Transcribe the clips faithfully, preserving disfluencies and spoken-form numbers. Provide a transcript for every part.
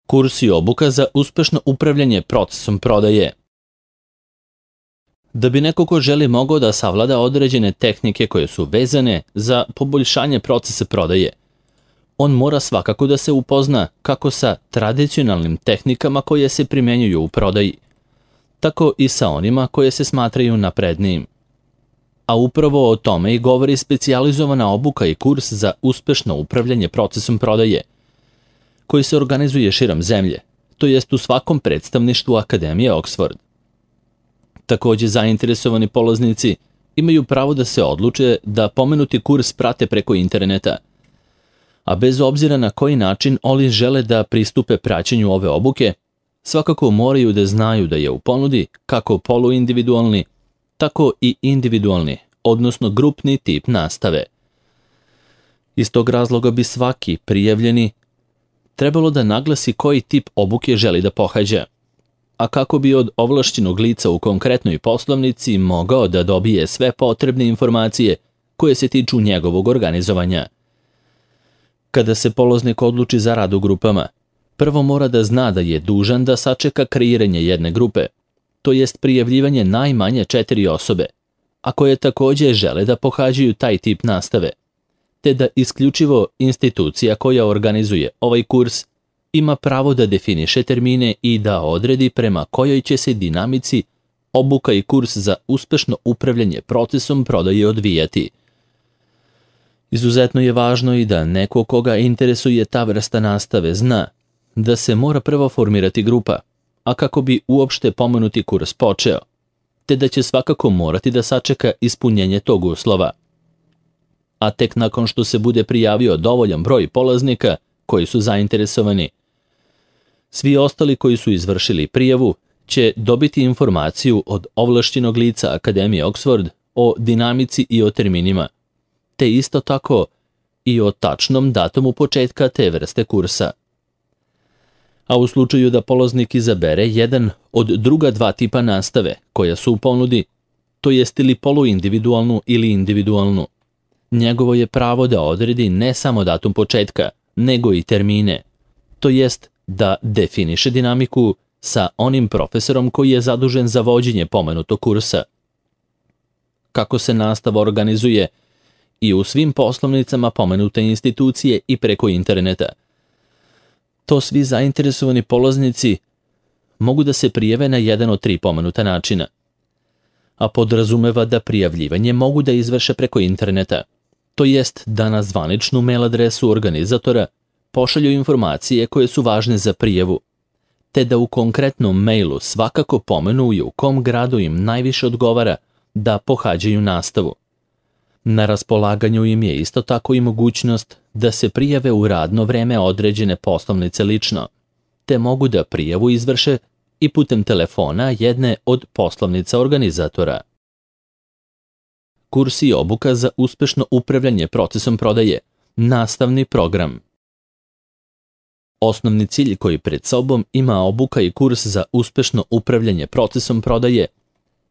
Kurs i obuka za uspešno upravljanje procesom prodaje. Da bi neko ko želi mogao da savlada određene tehnike koje su vezane za poboljšanje procesa prodaje, on mora svakako da se upozna kako sa tradicionalnim tehnikama koje se primenjuju u prodaji, tako i sa onima koje se smatraju naprednijim. A upravo o tome i govori specijalizovana obuka i kurs za uspešno upravljanje procesom prodaje, koji se organizuje širom zemlje, to jest u svakom predstavništvu Akademije Oxford. Takođe, zainteresovani polaznici imaju pravo da se odluče da pomenuti kurs prate preko interneta, a bez obzira na koji način oni žele da pristupe praćenju ove obuke, svakako moraju da znaju da je u ponudi kako poluindividualni, tako i individualni, odnosno grupni tip nastave. Iz tog razloga bi svaki prijavljeni trebalo da naglasi koji tip obuke želi da pohađa, a kako bi od ovlašćenog lica u konkretnoj poslovnici mogao da dobije sve potrebne informacije koje se tiču njegovog organizovanja. Kada se polaznik odluči za rad u grupama, prvo mora da zna da je dužan da sačeka kreiranje jedne grupe, to jest prijavljivanje najmanje četiri osobe, a koje takođe žele da pohađaju taj tip nastave, te da isključivo institucija koja organizuje ovaj kurs ima pravo da definiše termine i da odredi prema kojoj će se dinamici obuka i kurs za uspešno upravljanje procesom prodaje odvijati. Izuzetno je važno i da neko koga interesuje ta vrsta nastave zna da se mora prvo formirati grupa, a kako bi uopšte pomenuti kurs počeo, te da će svakako morati da sačeka ispunjenje tog uslova. A tek nakon što se bude prijavio dovoljan broj polaznika koji su zainteresovani, svi ostali koji su izvršili prijavu će dobiti informaciju od ovlašćenog lica Akademije Oxford o dinamici i o terminima, te isto tako i o tačnom datumu početka te vrste kursa. A u slučaju da polaznik izabere jedan od druga dva tipa nastave koja su u ponudi, to jest ili poluindividualnu ili individualnu, njegovo je pravo da odredi ne samo datum početka, nego i termine, to jest da definiše dinamiku sa onim profesorom koji je zadužen za vođenje pomenutog kursa. Kako se nastava organizuje i u svim poslovnicama pomenute institucije i preko interneta, to svi zainteresovani polaznici mogu da se prijave na jedan od tri pomenuta načina, a podrazumeva da prijavljivanje mogu da izvrše preko interneta, to jest da na zvaničnu mail adresu organizatora pošalju informacije koje su važne za prijavu, te da u konkretnom mailu svakako pomenu u kom gradu im najviše odgovara da pohađaju nastavu. Na raspolaganju im je isto tako i mogućnost da se prijave u radno vreme određene poslovnice lično, te mogu da prijavu izvrše i putem telefona jedne od poslovnica organizatora. Kurs i obuka za uspešno upravljanje procesom prodaje, nastavni program. Osnovni cilj koji pred sobom ima obuka i kurs za uspešno upravljanje procesom prodaje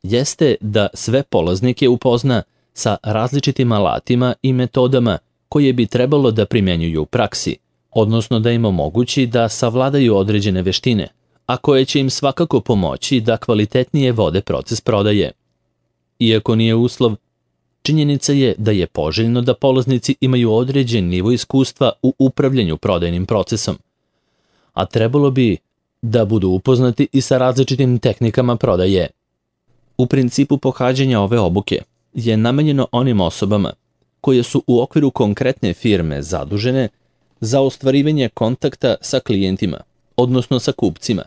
jeste da sve polaznike upozna sa različitim alatima i metodama koje bi trebalo da primenjuju u praksi, odnosno da im omogući da savladaju određene veštine, a koje će im svakako pomoći da kvalitetnije vode proces prodaje. Iako nije uslov, činjenica je da je poželjno da polaznici imaju određen nivo iskustva u upravljanju prodajnim procesom, a trebalo bi da budu upoznati i sa različitim tehnikama prodaje. U principu pohađanja ove obuke je namenjeno onim osobama koje su u okviru konkretne firme zadužene za ostvarivanje kontakta sa klijentima, odnosno sa kupcima,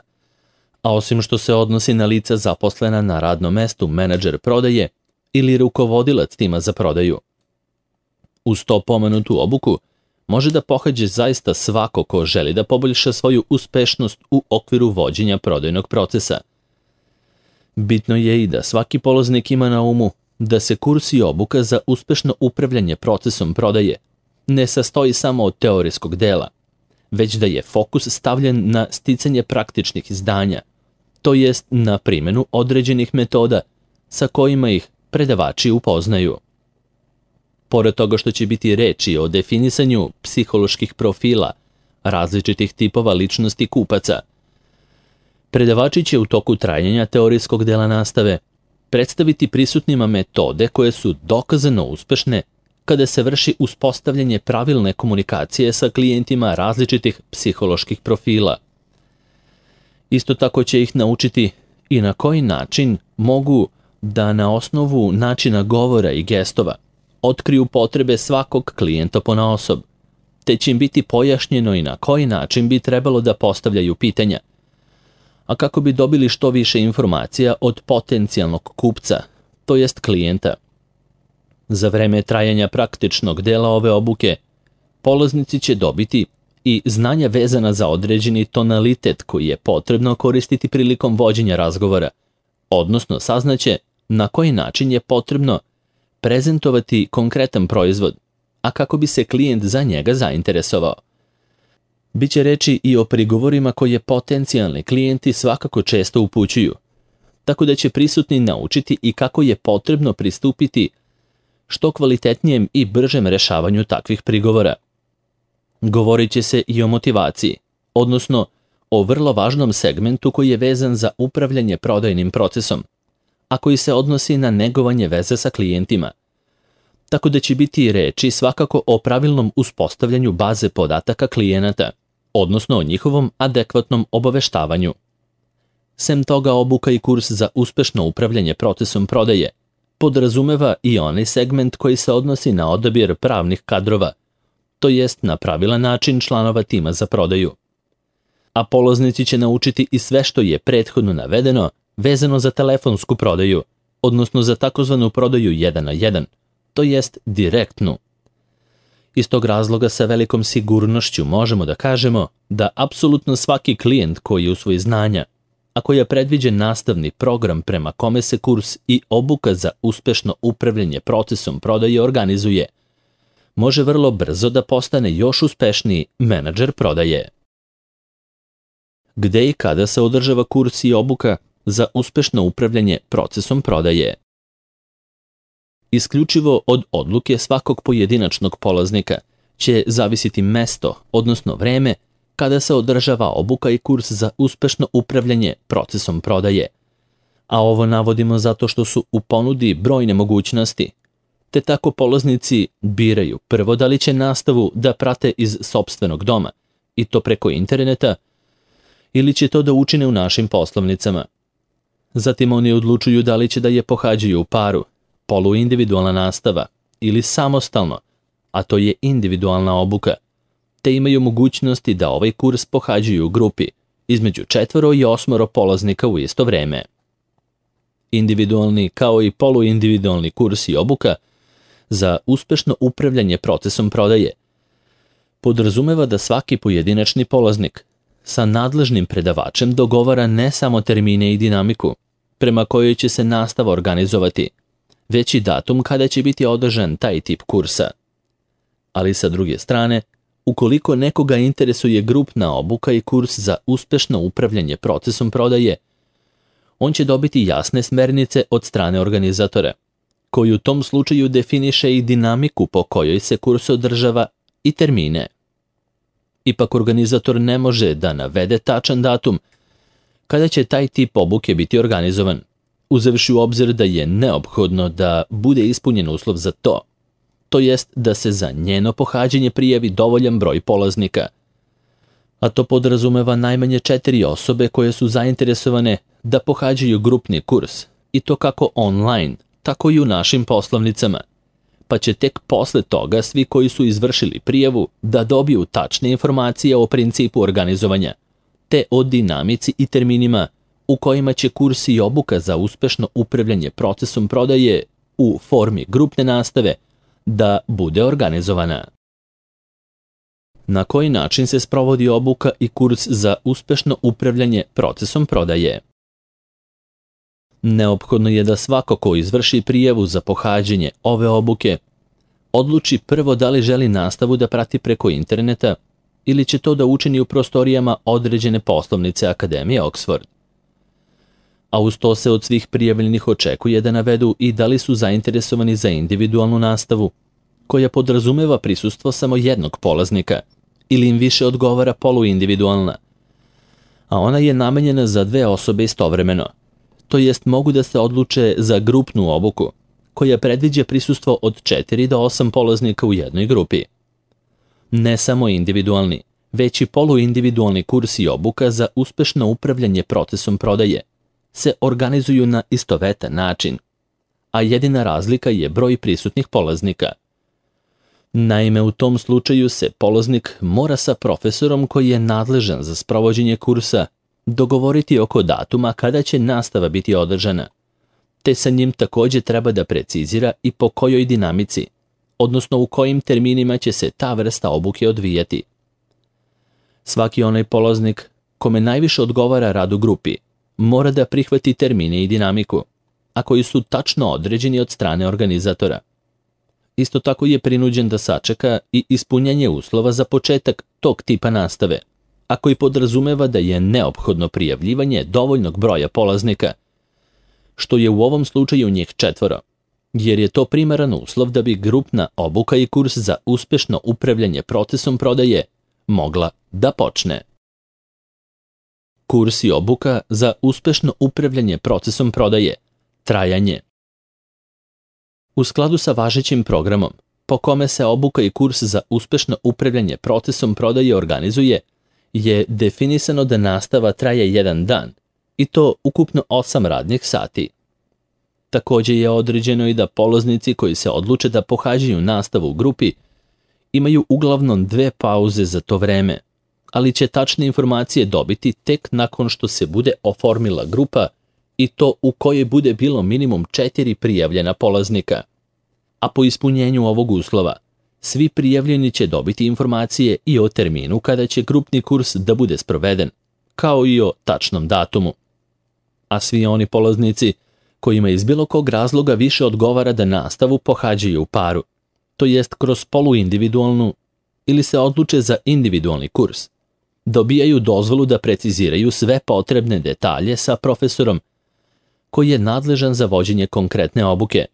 a osim što se odnosi na lica zaposlena na radnom mestu menadžer prodaje ili rukovodilac tima za prodaju. Uz to pomenutu obuku može da pohađe zaista svako ko želi da poboljša svoju uspešnost u okviru vođenja prodajnog procesa. Bitno je i da svaki polaznik ima na umu da se kurs i obuka za uspešno upravljanje procesom prodaje ne sastoji samo od teorijskog dela, već da je fokus stavljen na sticanje praktičnih znanja, to jest na primjenu određenih metoda sa kojima ih predavači upoznaju. Pored toga što će biti reči o definisanju psiholoških profila, različitih tipova ličnosti kupaca. Predavači će u toku trajanja teorijskog dela nastave predstaviti prisutnima metode koje su dokazano uspešne kada se vrši uspostavljanje pravilne komunikacije sa klijentima različitih psiholoških profila. Isto tako će ih naučiti i na koji način mogu da na osnovu načina govora i gestova otkriju potrebe svakog klijenta ponaosob, te će im biti pojašnjeno i na koji način bi trebalo da postavljaju pitanja, a kako bi dobili što više informacija od potencijalnog kupca, to jest klijenta. Za vreme trajanja praktičnog dela ove obuke, polaznici će dobiti i znanja vezana za određeni tonalitet koji je potrebno koristiti prilikom vođenja razgovora, odnosno saznaće na koji način je potrebno prezentovati konkretan proizvod, a kako bi se klijent za njega zainteresovao. Biće reči i o prigovorima koje potencijalni klijenti svakako često upućuju, tako da će prisutni naučiti i kako je potrebno pristupiti što kvalitetnijem i bržem rešavanju takvih prigovora. Govorit će se i o motivaciji, odnosno o vrlo važnom segmentu koji je vezan za upravljanje prodajnim procesom, a koji se odnosi na negovanje veze sa klijentima. Tako da će biti reči svakako o pravilnom uspostavljanju baze podataka klijenata, odnosno o njihovom adekvatnom obaveštavanju. Sem toga, obuka i kurs za uspešno upravljanje procesom prodaje podrazumeva i onaj segment koji se odnosi na odabir pravnih kadrova, to jest na pravilan način članova tima za prodaju. A polaznici će naučiti i sve što je prethodno navedeno vezano za telefonsku prodaju, odnosno za takozvanu prodaju jedan na jedan, to jest direktnu. Iz tog razloga sa velikom sigurnošću možemo da kažemo da apsolutno svaki klijent koji usvoji znanja, a koji je predviđen nastavni program prema kome se kurs i obuka za uspešno upravljanje procesom prodaje organizuje, može vrlo brzo da postane još uspešniji menadžer prodaje. Gde i kada se održava kurs i obuka za uspešno upravljanje procesom prodaje? Isključivo od odluke svakog pojedinačnog polaznika će zavisiti mesto, odnosno vreme, kada se održava obuka i kurs za uspešno upravljanje procesom prodaje. A ovo navodimo zato što su u ponudi brojne mogućnosti, te tako polaznici biraju prvo da li će nastavu da prate iz sopstvenog doma, i to preko interneta, ili će to da učine u našim poslovnicama. Zatim oni odlučuju da li će da je pohađaju u paru, poluindividualna nastava ili samostalno, a to je individualna obuka, te imaju mogućnosti da ovaj kurs pohađaju u grupi između četvoro i osmoro polaznika u isto vreme. Individualni kao i poluindividualni kurs i obuka za uspešno upravljanje procesom prodaje podrazumeva da svaki pojedinačni polaznik sa nadležnim predavačem dogovara ne samo termine i dinamiku prema kojoj će se nastava organizovati, već i datum kada će biti održan taj tip kursa. Ali sa druge strane, ukoliko nekoga interesuje grupna obuka i kurs za uspešno upravljanje procesom prodaje, on će dobiti jasne smernice od strane organizatora, koji u tom slučaju definiše i dinamiku po kojoj se kurs održava i termine. Ipak organizator ne može da navede tačan datum kada će taj tip obuke biti organizovan, uzevši u obzir da je neophodno da bude ispunjen uslov za to, to jest da se za njeno pohađanje prijavi dovoljan broj polaznika, a to podrazumeva najmanje četiri osobe koje su zainteresovane da pohađaju grupni kurs, i to kako online, tako i u našim poslovnicama, pa će tek posle toga svi koji su izvršili prijavu da dobiju tačne informacije o principu organizovanja, te o dinamici i terminima u kojima će kurs i obuka za uspešno upravljanje procesom prodaje u formi grupne nastave da bude organizovana. Na koji način se sprovodi obuka i kurs za uspešno upravljanje procesom prodaje? Neophodno je da svako ko izvrši prijavu za pohađanje ove obuke odluči prvo da li želi nastavu da prati preko interneta ili će to da učini u prostorijama određene poslovnice Akademije Oxford. A uz to se od svih prijavljenih očekuje da navedu i da li su zainteresovani za individualnu nastavu, koja podrazumeva prisustvo samo jednog polaznika, ili im više odgovara poluindividualna, a ona je namenjena za dve osobe istovremeno, to jest mogu da se odluče za grupnu obuku, koja predviđa prisustvo od četiri do osam polaznika u jednoj grupi. Ne samo individualni, već i poluindividualni kurs i obuka za uspešno upravljanje procesom prodaje se organizuju na istovetan način, a jedina razlika je broj prisutnih polaznika. Naime, u tom slučaju se polaznik mora sa profesorom koji je nadležan za sprovođenje kursa dogovoriti oko datuma kada će nastava biti održana, te sa njim takođe treba da precizira i po kojoj dinamici, odnosno u kojim terminima će se ta vrsta obuke odvijati. Svaki onaj polaznik kome najviše odgovara rad u grupi mora da prihvati termine i dinamiku, a koji su tačno određeni od strane organizatora. Isto tako je prinuđen da sačeka i ispunjanje uslova za početak tog tipa nastave, a koji podrazumeva da je neophodno prijavljivanje dovoljnog broja polaznika, što je u ovom slučaju njih četvoro, jer je to primaran uslov da bi grupna obuka i kurs za uspešno upravljanje procesom prodaje mogla da počne. Kurs i obuka za uspešno upravljanje procesom prodaje, trajanje. U skladu sa važećim programom, po kome se obuka i kurs za uspešno upravljanje procesom prodaje organizuje, je definisano da nastava traje jedan dan, i to ukupno osam radnih sati. Takođe je određeno i da polaznici koji se odluče da pohađaju nastavu u grupi imaju uglavnom dve pauze za to vreme, ali će tačne informacije dobiti tek nakon što se bude oformila grupa i to u kojoj bude bilo minimum četiri prijavljena polaznika. A po ispunjenju ovog uslova, svi prijavljeni će dobiti informacije i o terminu kada će grupni kurs da bude sproveden, kao i o tačnom datumu. A svi oni polaznici kojima iz bilo kog razloga više odgovara da nastavu pohađaju u paru, to jest kroz poluindividualnu ili se odluče za individualni kurs, dobijaju dozvolu da preciziraju sve potrebne detalje sa profesorom koji je nadležan za vođenje konkretne obuke.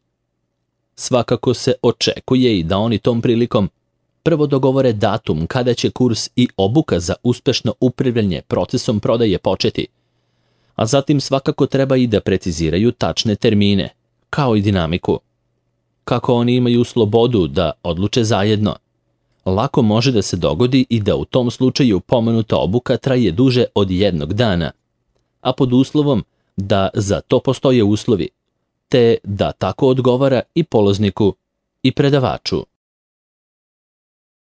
Svakako se očekuje i da oni tom prilikom prvo dogovore datum kada će kurs i obuka za uspešno upravljanje procesom prodaje početi, a zatim svakako treba i da preciziraju tačne termine, kao i dinamiku. Kako oni imaju slobodu da odluče zajedno, lako može da se dogodi i da u tom slučaju pomenuta obuka traje duže od jednog dana, a pod uslovom da za to postoje uslovi, te da tako odgovara i polazniku i predavaču.